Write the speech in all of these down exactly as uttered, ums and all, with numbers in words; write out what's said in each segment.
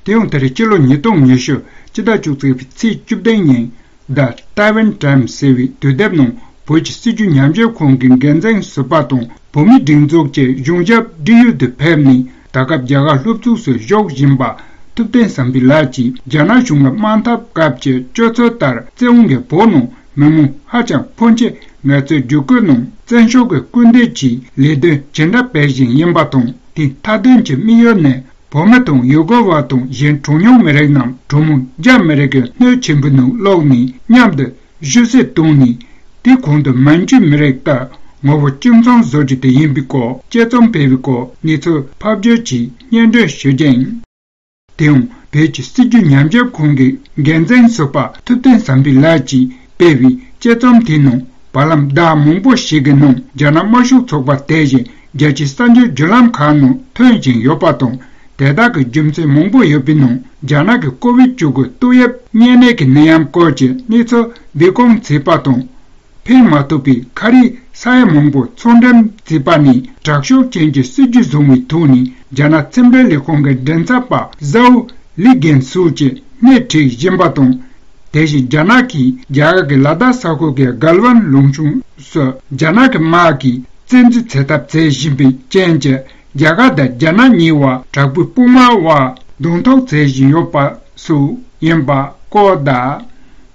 དེ་ཡང་ད་རེས་སྤྱི་ལོ་ཉིས་སྟོང་ཉི་ཤུ་སྤྱི་ཟླ་བཅུ་གཅིག་པའི་ཚེས་བཅུ་བདུན་ཉིན། The Taiwan Times ཟེར་བའི་དུས་དེབ་ནང་བོད་ཀྱི་སྲིད་བྱུས་ཉམས་ཞིབ་ཁང་གི་འགན་འཛིན་ཟུར་པ་དང་བོད་མིའི་སྒྲིག་འཛུགས་ཀྱི་གཞུང་ཞབས་འབྲེལ་ཡོད་དུ་ཕེབས་ནས། ད་སྐབས་རྒྱ་གར་སློབ་ཕྲུག་སུ་བཞུགས་བཞིན་པ་ཐུབ་བསྟན་བསམ་འཕེལ་ལགས་ཀྱིས། རྒྱ་ནག་གཞུང་གི་དམག་འཐབ་སྐབས་ཀྱི་སྤྱོད་ཚུལ་ལྟར་བཙན་དབང་གིས་བོད་ནང་མི་མང་ཧ་ཅང་ཕོན་ཆེ། ངལ་རྩོལ་བསྒྱུར་བཀོད་ནང་བཙན་ཤུགས་ཀྱི་སྐུལ་འདེད་ཀྱིས་ལས་དོན་ཇི་འདྲ་སྤེལ་བཞིན་ཡིན་པ་དང་། དེའི་མཐའ་དོན་གྱི་དམིགས་ཡུལ་ནི། བོད་མི་དང་ཡུ་གུར་བ་དང་གཞན་གྲངས་ཉུང་མི་རིགས་རྣམས་གྲངས་མང་རྒྱ་མི་རིགས་ཀྱི་སྣོད་ཆེན་པོའི་ནང་བླུགས་ནས་མཉམ་དུ་བཞུ་བསྲེག་བཏང་ནས། དེའི་གོང་དུ་མན་ཇུའི་མི་རིགས་ལྟར་ངོ་བོ་གཅིག་མཚུངས་བཟོ་རྒྱུ་དེ་ཡིན་པའི་སྐོར་དཔྱད་རྩོམ་སྤེལ་བའི་སྐོར་གནས་ཚུལ་ཕབ་སྒྱུར་གྱིས་སྙན་སྒྲོན་ཞུ་རྒྱུ་ཡིན། དེ་ཡང་བོད་ཀྱི་སྲིད་བྱུས་ཉམས་ཞིབ་ཁང་གི་འགན་འཛིན་ཟུར་པ་ཐུབ་བསྟན་བསམ་འཕེལ་ལགས་ཀྱིས་སྤེལ་བའི་དཔྱད་རྩོམ་དེའི་ནང་། བར་ལམ་ཟླ་མང་པོ་ཞིག་གི་ནང་རྒྱ་ནག་དམར་ཤོག་ཚོགས་པ་དེ་བཞིན་རྒྱལ་སྤྱིའི་གསར་འགྱུར་བརྒྱུད་ལམ་ཁག་ནང་ཐོན་བཞིན་ཡོད་པ་དང་། དེ་དག་གི་རྒྱུ་མཚན་མང་པོ་ཡོད་པའི་ནང་། རྒྱ་ནག་གི་ཀོ་བིད་བཅུ་དགུ་ཏོག་དབྱིབས་གཉན་ནད་ཀྱི་ནད་ཡམས་སྐོར་གྱི་གནས་ཚུལ་སྦས་སྐུང་བྱས་པ་དང་། འཕེན་མ་ཐུབ་པའི་ཁ་རས་ས་ཡ་མང་པོ་ཚོང་འགྲེམས་བྱས་པ་ནས། དྲག་ཤུགས་ཅན་གྱི་སྲིད་ཇུས་བཟུང་བའི་ཐོག་ནས་རྒྱ་ནག་ཕྱི་འབྲེལ་ལས་ཁུངས་ཀྱི་མགྲིན་ཚབ་པ་ཟའོ་ལི་རྒན་སུའུ་ཅེས་སྣེ་ཁྲིད་བཞིན་པ་དང་། དེ་བཞིན་རྒྱ་ནག་གིས་རྒྱ་གར་གྱི་ལ་དྭགས་ས་ཁུལ་གྱི་གལ་ཝན་ལུང་གཤོང་སུ་རྒྱ་ནག་གི་དམག་གིས་བཙན་འཛུལ་བྱེད་ཐབས་བྱེད་བཞིན་པའི་རྐྱེན་གྱིས། རྒྱ་གར་དང་རྒྱ་ནག་གཉིས་བར་དྲག་པོའི་དཔུང་དམག་དབར་གདོང་ཐུག་བྱེད་བཞིན་ཡོད་པ་སོགས་ཡིན་པ་སྐོར་དང་།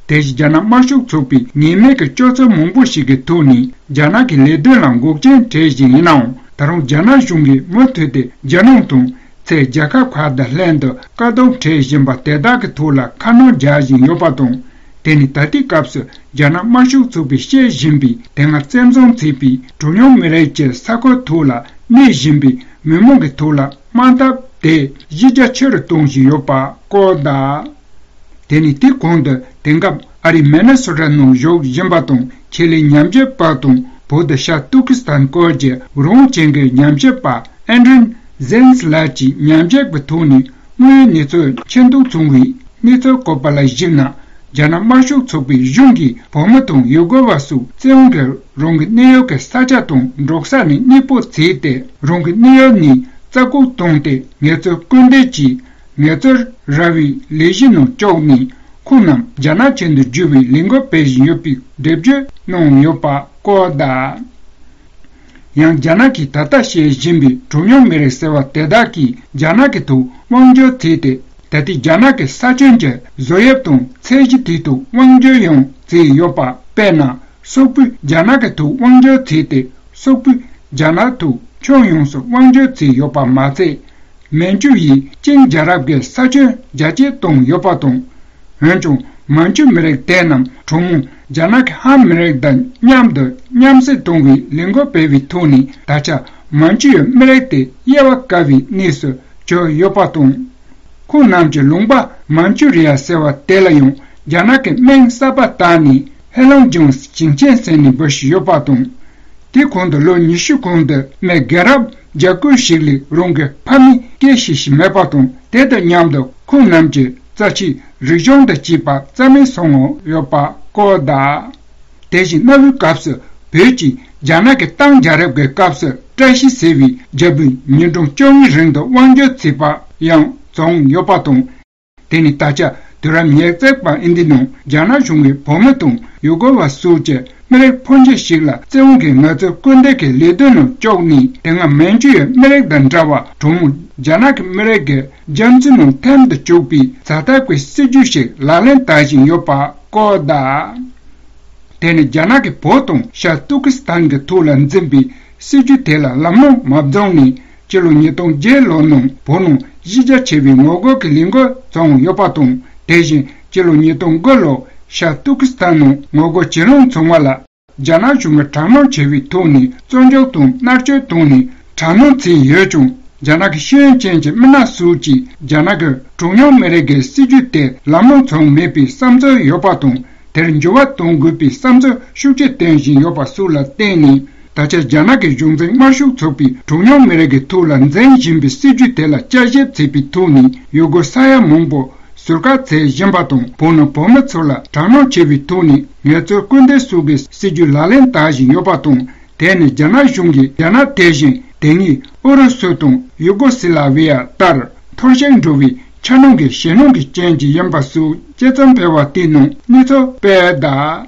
དེ་བཞིན་རྒྱ་ནག་དམར་ཤོག་ཚོགས་པའི་ངེས་མེད་ཀྱི་སྤྱོད་ཚུལ་མང་པོ་ཞིག་གི་ཐོག་ནས་རྒྱ་ནག་གི་ལས་དོན་ལ་འགོག་རྐྱེན་འཕྲད་བཞིན་ཡིན་ནའང་། ད་རུང་རྒྱ་ནག་གཞུང་གིས་མུ་མཐུད་དེ་རྒྱ་ནག་དང་ཚད་རྒྱལ་ཁབ་ཁག་དང་ལྷན་དུ་དཀའ་སྡུག་འཕྲད་བཞིན་པ་དེ་དག་གི་ཐོག་ལ་ཁ་སྣོན་རྒྱག་བཞིན་ཡོད་པ་དང་། དེ་ནི་ད་ལྟའི་སྐབས་སུ་རྒྱ་ནག་དམར་ཤོག་ཚོགས་པས་བཤད་བཞིན་པའི། དེ་སྔ་བཙན་བཟུང་བྱས་པའི་གྲངས་ཉུང་མི་རིགས་ཀྱི་ས་ཁུལ་ཐོག་ལ་གནས་བཞིན་པའི་མི་མང་གི་ཐོག་ལ་དམག་འཐབ་དེ་གཞི་རྒྱ་ཆེ་རུ་གཏོང་བཞིན་ཡོད་པ་སྐོར་དང་། དེ་ནི་དེའི་གོང་དུ་དེང་སྐབས་ཨ་རིའི་མི་ནི་སོ་ཊ་ནང་བཞུགས་བཞིན་པ་དང་། ཆེད་ལས་ཉམས་ཞིབ་པ་དང་བོད་དང་ཤར་ཏུར་ཀི་སི་ཐན་སྐོར་གྱི་རང་དབང་ཅན་གྱི་ཉམས་ཞིབ་པ་ཨན་ཌྲིན་ཛེན་སི་ལགས་ཀྱིས་ཉམས་ཞིབ་ཀྱི་ཐོག་ནས་དངོས་ཡོད་གནས་ཚུལ་མཁྱེན་རྟོགས་བྱུང་བའི་གནས་ཚུལ་བཀོད་པ་ལ་གཞིགས་ན། རྒྱ་ནག་དམར་ཤོག་ཚོགས་པའི་གཞུང་གིས་བོད་མི་དང་ཡུ་གུར་བ་སོགས་བཙན་དབང་གིས་རང་གི་གནས་ཡུལ་གྱི་ས་ཆ་དང་འབྲོག་ས་ནས་གནས་སྤོ་བྱས་ཏེ། རང་གི་གནས་ཡུལ་ནས་རྩ་བཀོད་བཏང་སྟེ་ངལ་རྩོལ་སྐུལ་འདེད་ཀྱིས། ངལ་རྩོལ་ར་བའི་ལས་གཞི་ནང་བཅུག་ནས། ཁོང་རྣམས་རྒྱ་ནག་ཅན་དུ་བསྒྱུར་བའི་ལས་འགུལ་སྤེལ་བཞིན་ཡོད་པའི་འགྲེལ་བརྗོད་གནང་ཡོད་པ་སྐོར་དང་། ཡང་། རྒྱ་ནག་གིས་ད་ལྟ་བཤད་བཞིན་པའི་གྲངས་ཉུང་མི་རིགས་ཟེར་བ་དེ་དག་གིས་རྒྱ་ནག་གི་ཐོག་དབང་སྒྱུར་བྱས་ཏེ། ད་ལྟའི་རྒྱ་ནག་གི་ས་ཁྱོན་གྱི་བཟོ་དབྱིབས་དང་ཚད་གཞི་དེའི་ཐོག་དབང་སྒྱུར་ཡང་བྱས་ཡོད་པ། དཔེར་ན། སོག་པོས་རྒྱ་ནག་གི་ཐོག་དབང་སྒྱུར་བྱས་ཏེ། སོག་པོས་རྒྱ་ནག་ཐོག་ཁྱོན་ཡོངས་སུ་དབང་སྒྱུར་བྱས་ཡོད་པ་མ་ཚད། མན་ཇུ་ཡིས་ཅིང་རྒྱལ་རབས་ཀྱི་ས་ཁྱོན་རྒྱ་སྐྱེད་བཏང་ཡོད་པ་དང་། འོན་ཀྱང་། མན་ཇུ་མི་རིགས་དེ་རྣམས་གྲངས་མང་རྒྱ་ནག་གི་ཧན་མི་རིགས་དང་མཉམ་དུ་མཉམ་བསྲེས་གཏོང་བའི་ལས་འགུལ་སྤེལ་བའི་ཐོག་ནས། ད་ཆ་མན་ཇུ་ཡི་མི་རིགས་དེ་དབྱེ་བ་དཀར་བའི་གནས་སུ་གྱུར་ཡོད་པ་དང་། ཁོང་རྣམས་ཀྱི་ལུང་པ་མན་ཇུ་རི་ཡ་ཟེར་བ་དེ་ལ་ཡང་རྒྱ་ནག་གི་མིང་གསར་པ་བཏགས་ནས་ཧེ་ལུང་ཅུན་ཞིང་ཆེན་ཟེར་ནས་འབོད་བཞིན་ཡོད་པ་དང་། དེའི་གོང་དུ་ལོ་ཉི་ཤུ་གོང་དུ་མི་རྒན་རབས་བརྒྱ་དགུ་ཞིག་ལས་རང་གི་ཕ་མའི་སྐད་ཤེས་བཞིན་མེད་པ་དང་། དེ་དང་མཉམ་དུ་ཁོང་རྣམས་ཀྱི་རྩ་ཆེའི་རིག་གཞུང་དང་བཅས་པ་རྩ་མེད་སོང་ཡོད་པ་སྐོར་དང་། དེ་བཞིན་གནའ་བོའི་སྐབས་སུ་བོད་ཀྱིས་རྒྱ་ནག་གི་ཏང་རྒྱལ་རབས་ཀྱི་སྐབས་སུ་བཀྲ་ཤིས་ཟེར་བའི་རྒྱལ་པོའི་ཉིན་གྲངས་བཅོ་ལྔའི་རིང་དུ་དབང་སྒྱུར་བྱས་པ་ཡང་བྱུང་ཡོད་པ་དང་། དེ་ནི་ད་ཆ་དུས་རབས་ཉེར་གཅིག་པ་ཨིན་དི་ནང་རྒྱ་ནག་གཞུང་གིས་བོད་མི་དང་ཡུ་གུར་བ་སོགས་ཀྱི་མི་རིགས་ཕོན་ཆེ་ཞིག་ལ་བཙན་དབང་གིས་ངལ་རྩོལ་སྐུལ་འདེད་ཀྱི་ལས་དོན་ནང་བཅུག་ནས། དེ་སྔ་མན་ཇུ་ཡི་མི་རིགས་དང་འདྲ་བར་གྲངས་མང་རྒྱ་ནག་གི་མི་རིགས་ཀྱི་རྒྱ་མཚོའི་ནང་ཐིམ་དུ་བཅུག་པའི་ཛ་དྲག་པའི་སྲིད་ཇུས་ཤིག་ལག་ལེན་བསྟར་བཞིན་ཡོད་པ་སྐོར་དང་། དེ་ནི་རྒྱ་ནག་གིས་བོད་དང་ཤར་ཏུར་ཀི་སི་ཐན་གྱི་ཐོག་ལ་འཛིན་པའི་སྲིད་ཇུས་དེ་ལ་ལམ་ལྷོང་མ་བྱུང་ནས། སྤྱི་ལོ་ཉིས་སྟོང་བརྒྱད་ལོ་ནང་བོད་ནང་གཞི་རྒྱ་ཆེ་བའི་ངོ་རྒོལ་གྱི་ལས་འགུལ་བྱུང་ཡོད་པ་དང་། དེ་བཞིན་སྤྱི་ལོ་ཉིས་སྟོང་དགུ་ལོར་ཤར་ཏུར་ཀི་སི་ཐན་ནང་ངོ་རྒོལ་ཇེ་སླ་བྱུང་བ་ལ། རྒྱ་ནག་གཞུང་གིས་དྲག་གནོན་ཆེ་བའི་ཐོག་ནས་བཙོན་འཇུག་དང་མནར་གཅོད་བཏང་ནས་དྲག་གནོན་བྱས་ཡོད་ཀྱང་། རྒྱ་ནག་གི་ཤེས་ཡོན་ཅན་གྱི་མི་སྣ་སོགས་ཀྱིས་རྒྱ་ནག་གི་གྲངས་ཉུང་མི་རིགས་ཀྱི་སྲིད་ཇུས་དེ་ལམ་ལྷོང་བྱུང་མེད་པའི་བསམ་ཚུལ་ཡོད་པ་དང་། དེར་འགྱུར་བ་གཏོང་དགོས་པའི་བསམ་ཚུལ་ཤུགས་ཆེ་བཏོན་བཞིན་ཡོད་པ་སོགས་ལ་བརྟེན་ནས། ད་ཆ་རྒྱ་ནག་གི་གཞུང་འཛིན་དམར་ཤོག་ཚོགས་པས་གྲངས་ཉུང་མི་རིགས་ཀྱི་ཐོག་ལ་འཛིན་བཞིན་པའི་སྲིད་ཇུས་དེ་ལ་དཔྱད་ཞིབ་བྱས་པའི་ཐོག་ནས། ཡུལ་སྒོ་ས་ཡ་མང་པོ་ཟུར་བཀག་བྱེད་བཞིན་པ་དང་། བོད་ནང་བོད་མི་ཚོ་ལ་དྲག་གནོན་ཆེ་བའི་ཐོག་ནས་ངལ་རྩོལ་སྐུལ་འདེད་སོགས་ཀྱི་སྲིད་ཇུས་ལག་ལེན་བསྟར་བཞིན་ཡོད་པ་དང་། དེ་ནི་རྒྱ་ནག་གཞུང་གིས་རྒྱ་ནག་དེ་བཞིན་དེ་སྔའི་ཨུ་རུ་སུ་དང་ཡུ་གོ་སི་ལ་ཝི་ཡ་ལྟར་འཐོར་ཞིག་འགྲོ་བའི་ ཆ་ནང་གི་ཞེད་སྣང་གི་རྐྱེན་གྱིས་ཡིན་པ་སོགས་དཔྱད་རྩོམ་སྤེལ་བ་དེ་ནང་གནས་ཚུལ་སྤེལ་གདའ།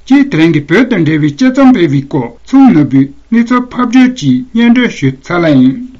སྤྱིར་དེ་རིང་གི་བོད་དང་འབྲེལ་བའི་དཔྱད་རྩོམ་སྤེལ་བའི་སྐོར་ཚོམས་ནོར་བུས་གནས་ཚུལ་ཕབ་སྒྱུར་གྱིས་སྙན་སྒྲོན་ཞུས་ཚར་ལ་ཡིན།